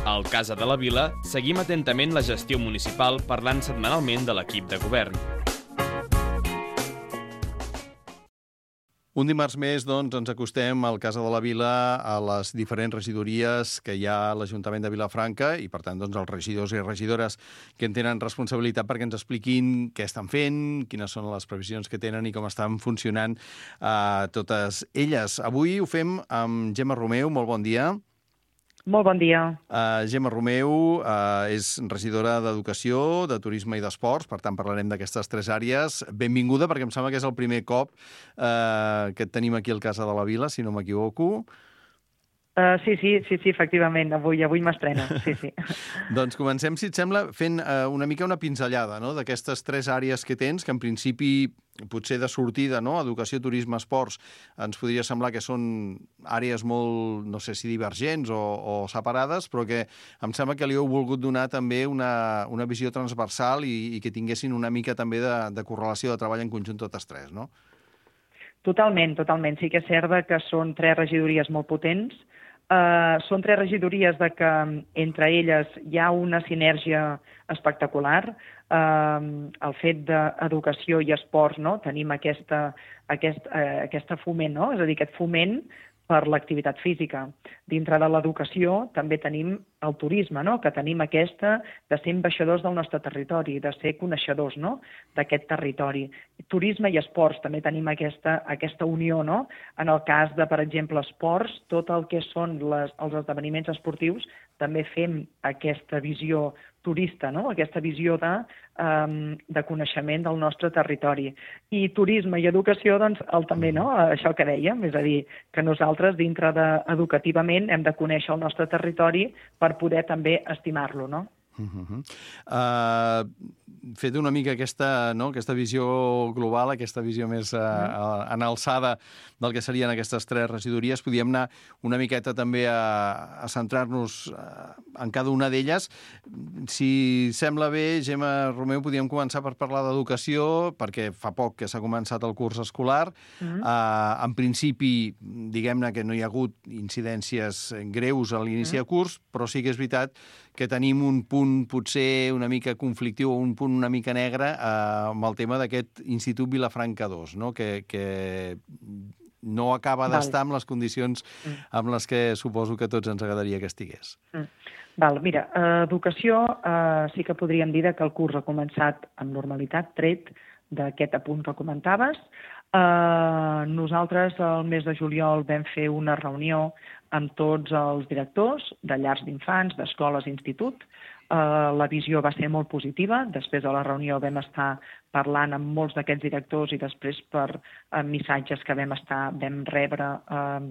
Al Casa de la Vila seguim atentament la gestió municipal parlant setmanalment de l'equip de govern. Un dimarts més, doncs, ens acostem al Casa de la Vila, a les diferents regidories que hi ha a l'Ajuntament de Vilafranca i, per tant, doncs, els regidors i regidores que en tenen responsabilitat perquè ens expliquin què estan fent, quines són les previsions que tenen i com estan funcionant totes elles. Avui ho fem amb Gemma Romeu. Molt bon dia. Molt bon dia. Gemma Romeu és regidora d'Educació, de Turisme i d'Esports, per tant parlarem d'aquestes tres àrees. Benvinguda, perquè em sembla que és el primer cop que et tenim aquí al Casa de la Vila, si no m'equivoco. Sí, efectivament. Avui m'estrena, sí. Doncs comencem, si et sembla, fent una mica una pinzellada, no?, d'aquestes tres àrees que tens, que en principi, potser de sortida, no?, educació, turisme, esports, ens podria semblar que són àrees molt, no sé si divergents o separades, però que em sembla que li heu volgut donar també una visió transversal i que tinguessin una mica també de correlació de treball en conjunt totes tres, no? Totalment. Sí que és cert que són tres regidories molt potents. Són tres regidories que entre elles hi ha una sinergia espectacular. El fet d'educació i esports, no? Tenim aquesta foment, no? És a dir, aquest foment per l'activitat física. Dintre de l'educació també tenim el turisme, no?, que tenim aquesta de ser ambaixadors del nostre territori, de ser coneixedors, no?, d'aquest territori. Turisme i esports, també tenim aquesta unió, no? En el cas de, per exemple, esports, tot el que són els esdeveniments esportius, també fem aquesta visió turista, no?, aquesta visió de coneixement del nostre territori. I turisme i educació, doncs, també, no?, això que dèiem, és a dir, que nosaltres, dintre educativament, hem de conèixer el nostre territori per poder també estimar-lo, no? Fet una mica aquesta visió global, aquesta visió més en alçada del que serien aquestes tres regidories, podíem anar una miqueta també a centrar-nos en cada una d'elles. Si sembla bé, Gemma Romeu, podíem començar per parlar d'educació, perquè fa poc que s'ha començat el curs escolar. En principi, diguem-ne que no hi ha hagut incidències greus a l'inici de curs, però sí que és veritat que tenim un punt potser una mica conflictiu o un punt una mica negre amb el tema d'aquest Institut Vilafranca 2, no?, que no acaba d'estar amb les condicions amb les que suposo que tots ens agradaria que estigués. Mira, educació sí que podríem dir que el curs ha començat amb normalitat, tret d'aquest apunt que comentaves. Nosaltres el mes de juliol vam fer una reunió amb tots els directors de llars d'infants, d'escoles i institut. La visió va ser molt positiva. Després de la reunió vam estar parlant amb molts d'aquests directors i després per missatges que vam rebre.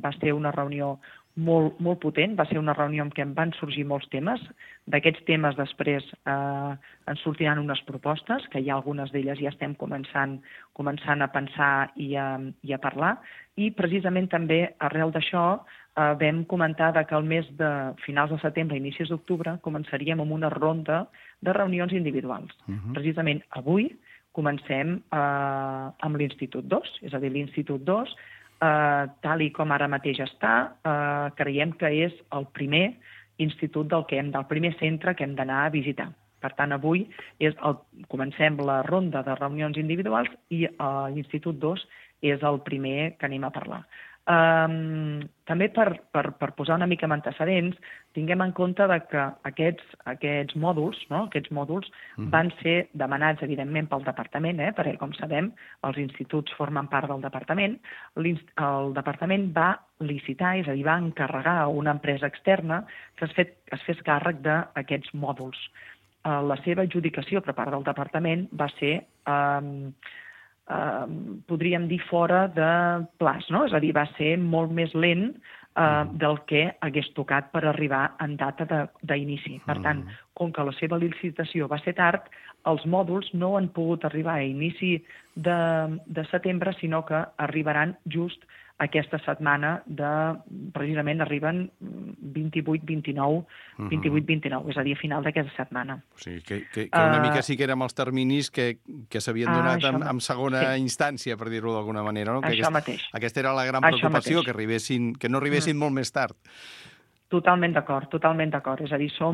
Va ser una reunió molt potent, va ser una reunió en què en van sorgir molts temes. D'aquests temes després ens sortiran unes propostes, que ja algunes d'elles ja estem començant a pensar i a parlar, i precisament també arrel d'això vam comentar que el mes de finals de setembre, inicis d'octubre, començaríem amb una ronda de reunions individuals. Precisament avui comencem amb l'Institut 2, és a dir, l'Institut 2, tal i com ara mateix està, creiem que és el primer institut del primer centre que hem d'anar a visitar. Per tant, avui comencem la ronda de reunions individuals i l'Institut 2 és el primer que anem a parlar. També per posar una mica en antecedents, tinguem en compte que aquests mòduls van ser demanats, evidentment, pel departament, perquè, com sabem, els instituts formen part del departament. El departament va licitar, és a dir, va encarregar a una empresa externa que es fes càrrec d'aquests mòduls. La seva adjudicació per part del departament va ser podríem dir fora de plaç, no? És a dir, va ser molt més lent del que hagués tocat per arribar en data d'inici. Per tant, com que la seva licitació va ser tard, els mòduls no han pogut arribar a inici de setembre, sinó que arribaran just aquesta setmana precisament arriben 28-29, és a dir, a final d'aquesta setmana. O sigui, que una mica sí que érem els terminis que s'havien donat en segona instància, per dir-ho d'alguna manera, no? Això mateix. Aquesta era la gran preocupació, que no arribessin molt més tard. Totalment d'acord, totalment d'acord. És a dir, això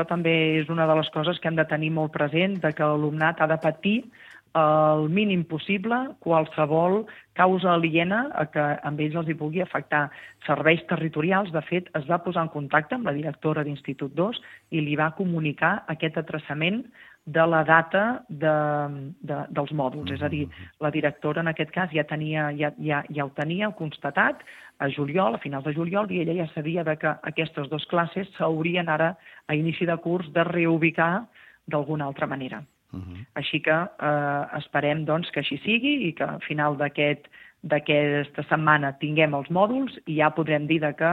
també és una de les coses que hem de tenir molt present, de que l'alumnat ha de patir el mínim possible qualsevol causa aliena a que amb ells els hi pugui afectar. Serveis territorials, de fet, es va posar en contacte amb la directora d'Institut 2 i li va comunicar aquest atraçament de la data dels mòduls. És a dir, la directora en aquest cas ja ho tenia constatat a juliol, a finals de juliol, i ella ja sabia que aquestes dues classes s'haurien ara, a inici de curs, de reubicar d'alguna altra manera. Així que esperem doncs, que així sigui i que al final d'aquesta setmana tinguem els mòduls i ja podrem dir que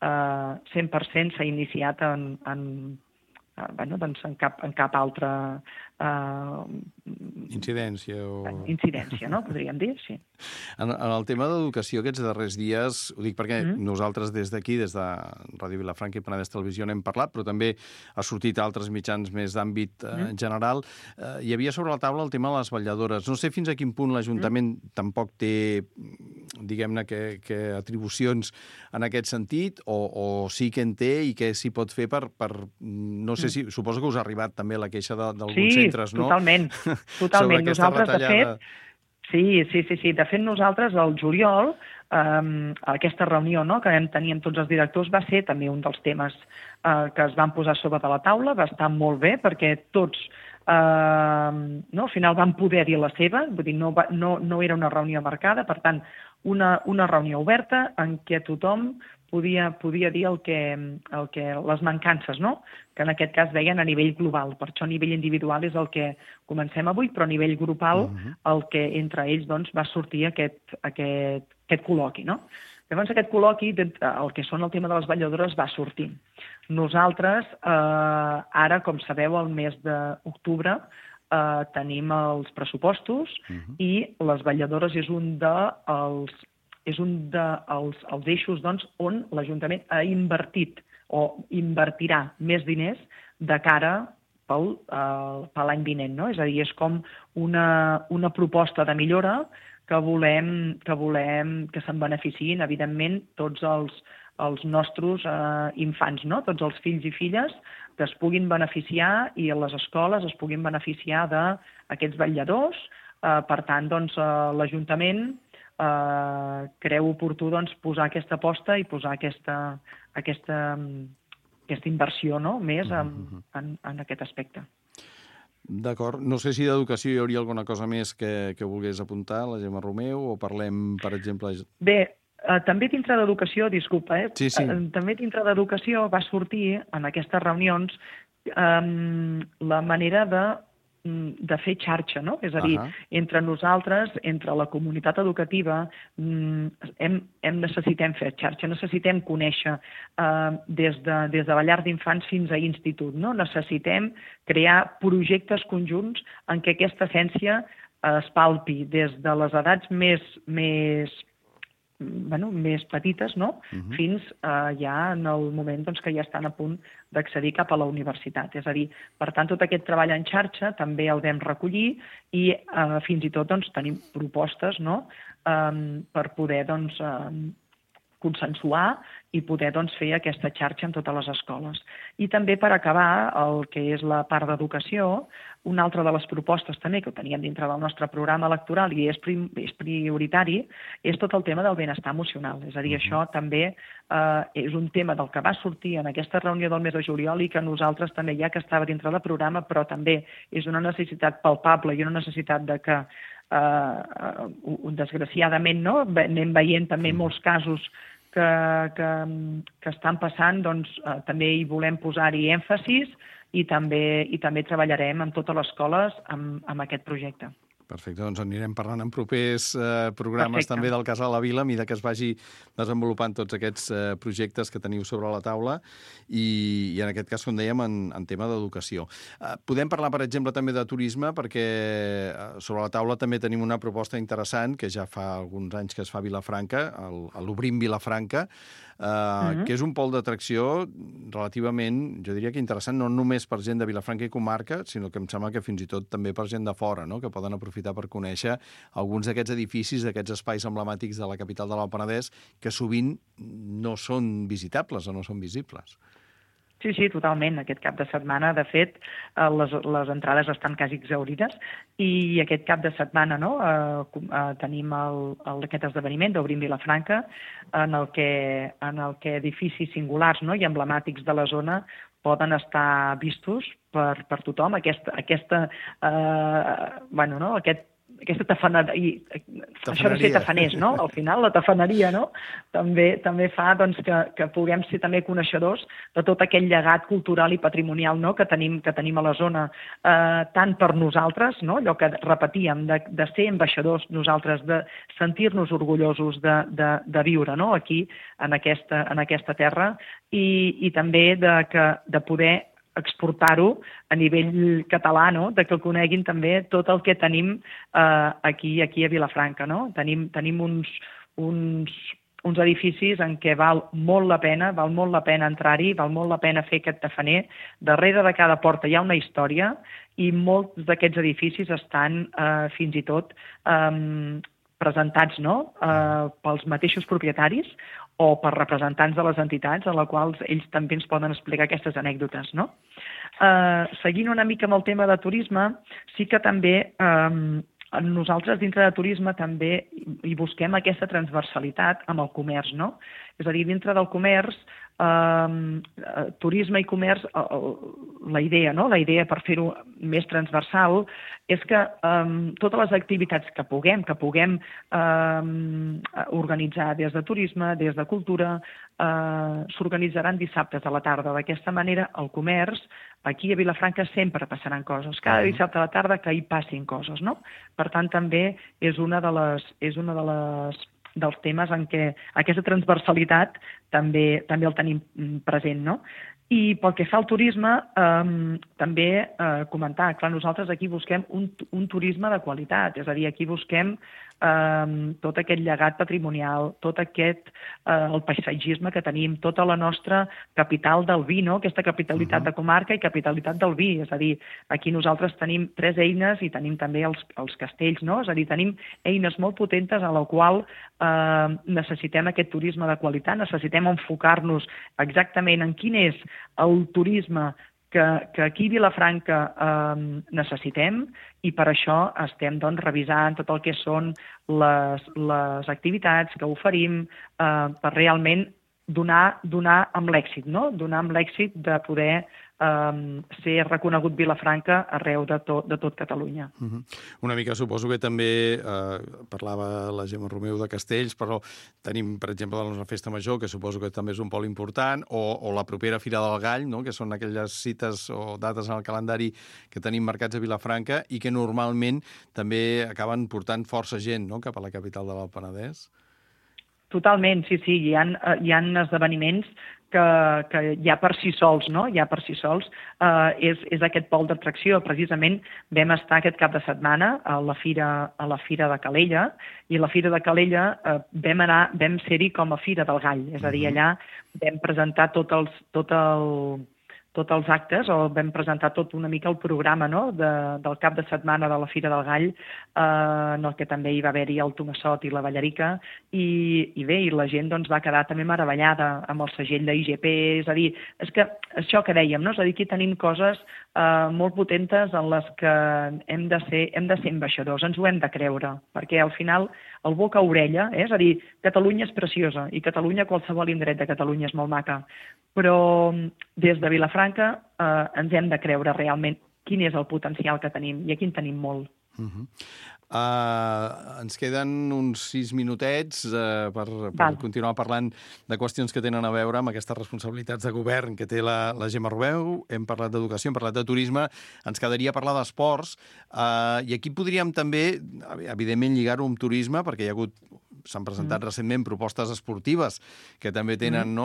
100% s'ha iniciat en cap altra incidència, no? Podríem dir, sí. En el tema d'educació aquests darrers dies, ho dic perquè nosaltres des d'aquí, des de Ràdio Vilafranca i Penedès Televisió n'hem parlat, però també ha sortit a altres mitjans més d'àmbit general. Hi havia sobre la taula el tema de les vetlladores. No sé fins a quin punt l'Ajuntament tampoc té, diguem-ne, que atribucions en aquest sentit, o sí que en té i què s'hi pot fer per no sé si... Suposo que us ha arribat també la queixa d'alguns centres, no? Sí, totalment. Nosaltres, de fet... Sí. De fet, nosaltres, al juliol, aquesta reunió que vam tenir amb tots els directors va ser també un dels temes que es van posar sobre de la taula. Va estar molt bé perquè tots al final van poder dir la seva, vull dir, no era una reunió marcada, per tant, una reunió oberta en què tothom podia dir les mancances, no? Que en aquest cas veien a nivell global. Per això a nivell individual és el que comencem avui, però a nivell grupal el que entre ells va sortir aquest col·loqui, no? Llavors aquest col·loqui, el que són el tema de les vetlladores, va sortir. Nosaltres, ara, com sabeu, al mes d'octubre tenim els pressupostos i les vetlladores és un dels eixos on l'Ajuntament ha invertit o invertirà més diners de cara per l'any vinent, no? És a dir, és com una proposta de millora que volem que se'n beneficiïn, evidentment, tots els nostres infants, no? Tots els fills i filles que es puguin beneficiar i les escoles es puguin beneficiar d'aquests vetlladors. Per tant, l'Ajuntament creu oportú posar aquesta aposta i posar aquesta inversió més en aquest aspecte. D'acord. No sé si d'educació hi hauria alguna cosa més que volgués apuntar, la Gemma Romeu, o parlem, per exemple... Bé, també dintre d'educació, disculpa, Sí. També dintre d'educació va sortir en aquestes reunions la manera de fer xarxa, no? És a dir, entre nosaltres, entre la comunitat educativa, necessitem fer xarxa, necessitem conèixer des de la llar d'infants fins a institut, no? Necessitem crear projectes conjunts en què aquesta essència es palpi des de les edats més petites, no? Fins ja en el moment que ja estan a punt d'accedir cap a la universitat. És a dir, per tant, tot aquest treball en xarxa també el vam recollir i fins i tot tenim propostes per poder consensuar i poder fer aquesta xarxa en totes les escoles. I també per acabar el que és la part d'educació, una altra de les propostes també que ho teníem dintre del nostre programa electoral i és prioritari, és tot el tema del benestar emocional. És a dir, això també és un tema del que va sortir en aquesta reunió del mes de juliol i que nosaltres també, ja que estava dintre del programa, però també és una necessitat palpable i una necessitat de que desgraciadament anem veient també molts casos que estan passant, també hi volem posar-hi èmfasis i també treballarem en totes les escoles amb aquest projecte. Perfecte, doncs anirem parlant en propers programes també del Casal a la Vila, a mesura que es vagi desenvolupant tots aquests projectes que teniu sobre la taula i en aquest cas, com dèiem, en tema d'educació. Podem parlar, per exemple, també de turisme, perquè sobre la taula també tenim una proposta interessant que ja fa alguns anys que es fa a Vilafranca, l'Obrim Vilafranca, que és un pol d'atracció relativament, jo diria que interessant, no només per gent de Vilafranca i comarca, sinó que em sembla que fins i tot també per gent de fora, no? Que poden aprofitar per conèixer alguns d'aquests edificis, d'aquests espais emblemàtics de la capital de l'Alt Penedès, que sovint no són visitables o no són visibles. Sí, totalment. Aquest cap de setmana, de fet, les entrades estan quasi exaurides i aquest cap de setmana tenim aquest esdeveniment d'Obrim Vilafranca en el que edificis singulars i emblemàtics de la zona poden estar vistos per tothom. Aquesta tafaneria, això de ser tafaners, no? Al final, la tafaneria, no? També fa que puguem ser també coneixedors de tot aquell llegat cultural i patrimonial que tenim a la zona, tant per nosaltres, allò que repetíem, de ser ambaixadors nosaltres, de sentir-nos orgullosos de viure aquí, en aquesta terra, i també de poder exportar-ho a nivell català, de que coneguin també tot el que tenim aquí a Vilafranca. Tenim uns edificis en què val molt la pena entrar-hi, val molt la pena fer aquest tafaner. Darrere de cada porta hi ha una història i molts d'aquests edificis estan fins i tot presentats pels mateixos propietaris o per representants de les entitats a les quals ells també ens poden explicar aquestes anècdotes. Seguint una mica amb el tema de turisme, sí que també nosaltres dintre de turisme també hi busquem aquesta transversalitat amb el comerç. És a dir, dintre del comerç, turisme i comerç, la idea per fer-ho més transversal és que totes les activitats que puguem organitzar des de turisme, des de cultura, s'organitzaran dissabtes a la tarda. D'aquesta manera, el comerç, aquí a Vilafranca sempre passaran coses. Cada dissabte a la tarda que hi passin coses. Per tant, també és una dels temes en què aquesta transversalitat també el tenim present. I pel que fa al turisme, també comentar, clar, nosaltres aquí busquem un turisme de qualitat, és a dir, aquí busquem tot aquest llegat patrimonial, tot el paisatgisme que tenim, tota la nostra capital del vi, aquesta capitalitat de comarca i capitalitat del vi, és a dir, aquí nosaltres tenim 3 eines i tenim també els castells, és a dir, tenim eines molt potentes a la qual necessitem aquest turisme de qualitat, necessitem enfocar-nos exactament en quin és el turisme que aquí a Vilafranca necessitem i per això estem revisant tot el que són les activitats que oferim per realment donar amb l'èxit, donar amb l'èxit de poder ser reconegut Vilafranca arreu de tot Catalunya. Una mica suposo que també parlava la Gemma Romeu de castells, però tenim, per exemple, la nostra festa major, que suposo que també és un pol important, o la propera Fira del Gall, que són aquelles cites o dates en el calendari que tenim marcats a Vilafranca i que normalment també acaben portant força gent cap a la capital de l'Alt Penedès. Totalment, sí. Hi ha esdeveniments que ja per si sols, és aquest pol d'atracció. Precisament vam estar aquest cap de setmana a la Fira de Calella, i a la Fira de Calella vam ser-hi com a Fira del Gall, és a dir, allà vam presentar tots els actes, o vam presentar tot una mica el programa del cap de setmana de la Fira del Gall, en el que també hi va haver-hi el Tomassot i la Ballarica, i la gent va quedar també meravellada amb el segell d'IGP, és a dir, és que això que dèiem, és a dir, aquí tenim coses molt potentes en les que hem de ser ambaixadors, ens ho hem de creure, perquè al final el boca a orella, és a dir, Catalunya és preciosa, i Catalunya, qualsevol indret de Catalunya és molt maca, però des de Vilafranca ens hem de creure realment quin és el potencial que tenim, i aquí en tenim molt. Ens queden uns 6 minutets per continuar parlant de qüestions que tenen a veure amb aquestes responsabilitats de govern que té la Gemma Romeu. Hem parlat d'educació, hem parlat de turisme, ens quedaria parlar d'esports, i aquí podríem també, evidentment, lligar-ho amb turisme, perquè s'han presentat recentment propostes esportives que també tenen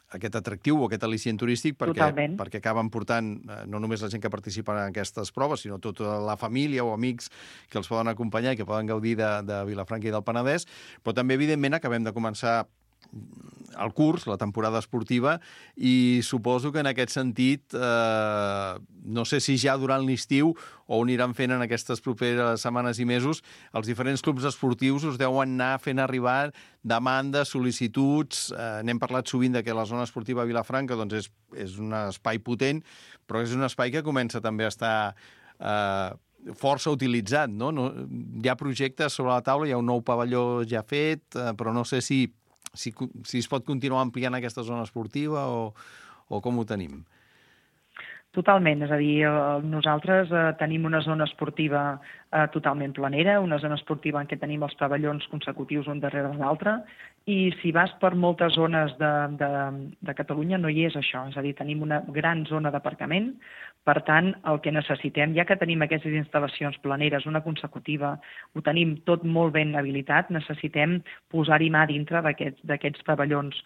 aquest atractiu o aquest al·licient turístic perquè acaben portant no només la gent que participa en aquestes proves, sinó tota la família o amics que els poden acompanyar i que poden gaudir de Vilafranca i del Penedès, però també, evidentment, acabem de començar el curs, la temporada esportiva, i suposo que en aquest sentit, no sé si ja durant l'estiu o ho aniran fent en aquestes properes setmanes i mesos, els diferents clubs esportius us deuen anar fent arribar demandes, sol·licituds. N'hem parlat sovint de que la zona esportiva a Vilafranca doncs, és un espai potent, però és un espai que comença també a estar força utilitzat, no? Hi ha projectes sobre la taula, hi ha un nou pavelló ja fet, però no sé si es pot continuar ampliant aquesta zona esportiva o com ho tenim. Totalment, és a dir, nosaltres tenim una zona esportiva totalment planera, una zona esportiva en què tenim els pavellons consecutius un darrere l'altre, i si vas per moltes zones de Catalunya no hi és això, és a dir, tenim una gran zona d'aparcament. Per tant, el que necessitem, ja que tenim aquestes instal·lacions planeres, una consecutiva, ho tenim tot molt ben habilitat, necessitem posar-hi mà dintre d'aquests pavellons,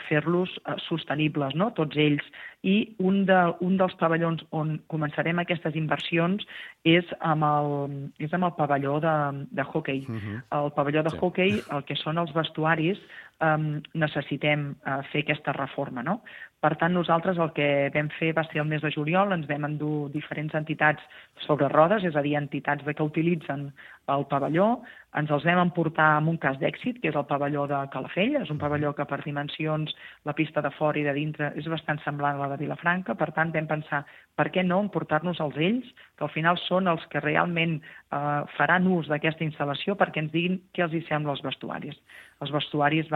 fer-los sostenibles, no? Tots ells. I un dels pavellons on començarem aquestes inversions és amb el pavelló de hoquei. El pavelló de hoquei, el que són els vestuaris, necessitem fer aquesta reforma, no? Per tant, nosaltres el que vam fer va ser el mes de juliol, ens vam endur diferents entitats sobre rodes, és a dir, entitats que utilitzen el pavelló, ens els vam emportar amb un cas d'èxit, que és el pavelló de Calafell, és un pavelló que per dimensions, la pista de fora i de dintre és bastant semblant a la de Vilafranca, per tant vam pensar, per què no emportar-nos-els ells, que al final són els que realment faran ús d'aquesta instal·lació perquè ens diguin què els hi sembla als vestuaris. Els vestuaris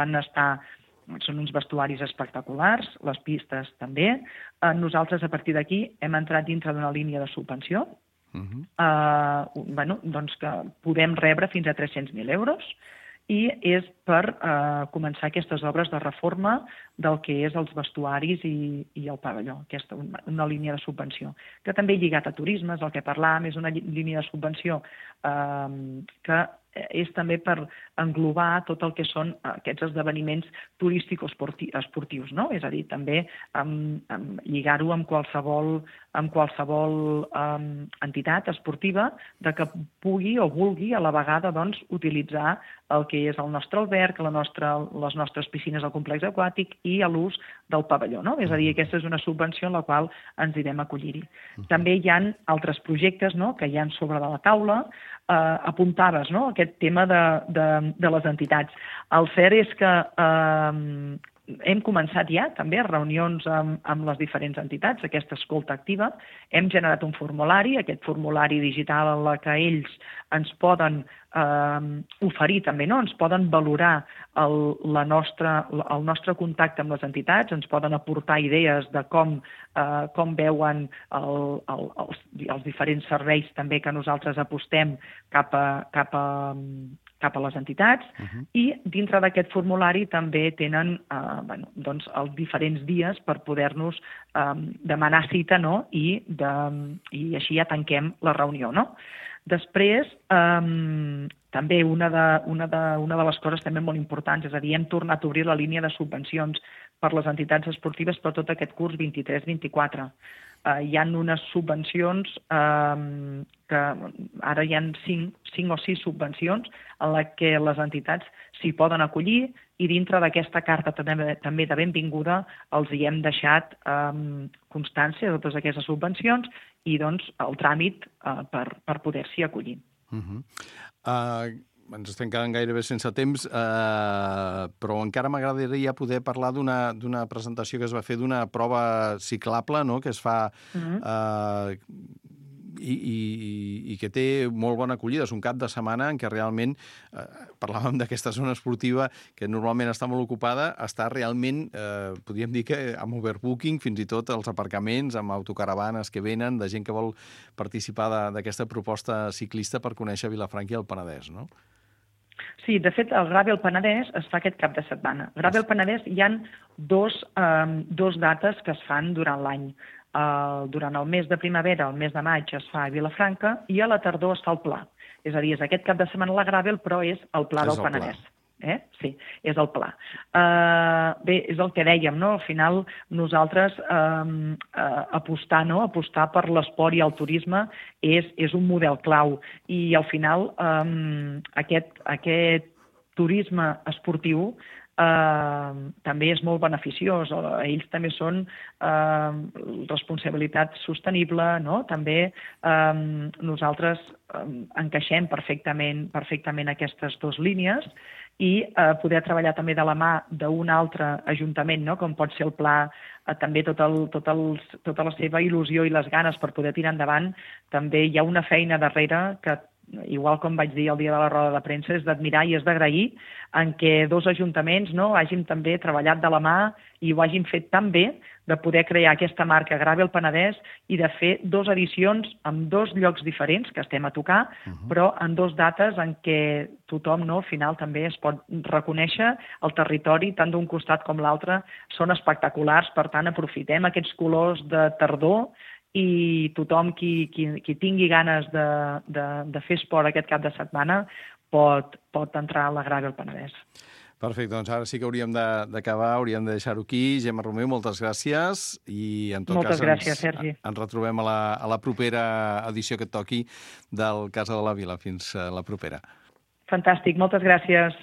són uns vestuaris espectaculars, les pistes també. Nosaltres, a partir d'aquí, hem entrat dintre d'una línia de subvenció, doncs que podem rebre fins a 300.000 euros, i és per començar aquestes obres de reforma del que és els vestuaris i el pavelló, aquesta una línia de subvenció, que també lligat a turisme, és el que parlàvem, és una línia de subvenció que és també per englobar tot el que són aquests esdeveniments turístico-esportius, no? És a dir, també lligar-ho amb qualsevol entitat esportiva que pugui o vulgui a la vegada doncs, utilitzar el que és el nostre alberg, les nostres piscines al complex aquàtic i a l'ús del pavelló, no? És a dir, aquesta és una subvenció en la qual ens direm acollir-hi. També hi ha altres projectes, no?, que hi ha sobre de la taula. Apuntaves, no?, aquest tema de les entitats. El cert és que hem començat ja també reunions amb les diferents entitats, aquesta escolta activa. Hem generat un formulari, aquest formulari digital en la que ells ens poden oferir també, no? Ens poden valorar el nostre contacte amb les entitats, ens poden aportar idees de com veuen els diferents serveis també que nosaltres apostem cap a les entitats, i dintre d'aquest formulari també tenen doncs, els diferents dies per poder-nos demanar cita, no? I així ja tanquem la reunió, no? Després, també una de les coses també molt importants, és a dir, hem tornat a obrir la línia de subvencions per les entitats esportives per tot aquest curs 23-24. Hi ha unes subvencions que ara hi ha 5 o 6 subvencions en les que les entitats s'hi poden acollir, i dintre d'aquesta carta també de benvinguda els hi hem deixat constància de totes aquestes subvencions i doncs el tràmit per poder-s'hi acollir. Ens estem quedant gairebé sense temps, però encara m'agradaria poder parlar d'una presentació que es va fer d'una prova ciclable, no?, que es fa i que té molt bona acollida. És un cap de setmana en què realment, parlàvem d'aquesta zona esportiva que normalment està molt ocupada, està realment, podríem dir que amb overbooking, fins i tot els aparcaments, amb autocaravanes que venen, de gent que vol participar d'aquesta proposta ciclista per conèixer Vilafranca i el Penedès, no? Sí, de fet, el Gravel Penedès es fa aquest cap de setmana. El Gravel Penedès hi ha dos dates que es fan durant l'any. Durant el mes de primavera, el mes de maig, es fa a Vilafranca, i a la tardor es fa el Pla. És a dir, és aquest cap de setmana la Gravel, però és el Pla del Penedès. Sí, és el Pla. Bé, és el que dèiem, no? Al final, nosaltres apostar per l'esport i el turisme és un model clau. I al final, aquest turisme esportiu també és molt beneficiós. Ells també són responsabilitat sostenible, no? També nosaltres encaixem perfectament aquestes dues línies i poder treballar també de la mà d'un altre ajuntament, no? Com pot ser el Pla, també tota la seva il·lusió i les ganes per poder tirar endavant, també hi ha una feina darrere que, igual com vaig dir el dia de la roda de premsa, és d'admirar i és d'agrair en què dos ajuntaments hagin també treballat de la mà i ho hagin fet tan bé de poder crear aquesta marca Gravel Penedès i de fer 2 edicions en 2 llocs diferents que estem a tocar, però en 2 dates en què tothom al final també es pot reconèixer el territori, tant d'un costat com l'altre, són espectaculars, per tant aprofitem aquests colors de tardor i tothom qui tingui ganes de fer esport aquest cap de setmana pot entrar a la Gravel Penedès. Perfecte, doncs ara sí que hauríem d'acabar, hauríem de deixar-ho aquí. Gemma Romeu, moltes gràcies i en tot moltes cas gràcies, Sergi. Ens retrobem a la propera edició que et toqui del Casa de la Vila. Fins la propera. Fantàstic, moltes gràcies.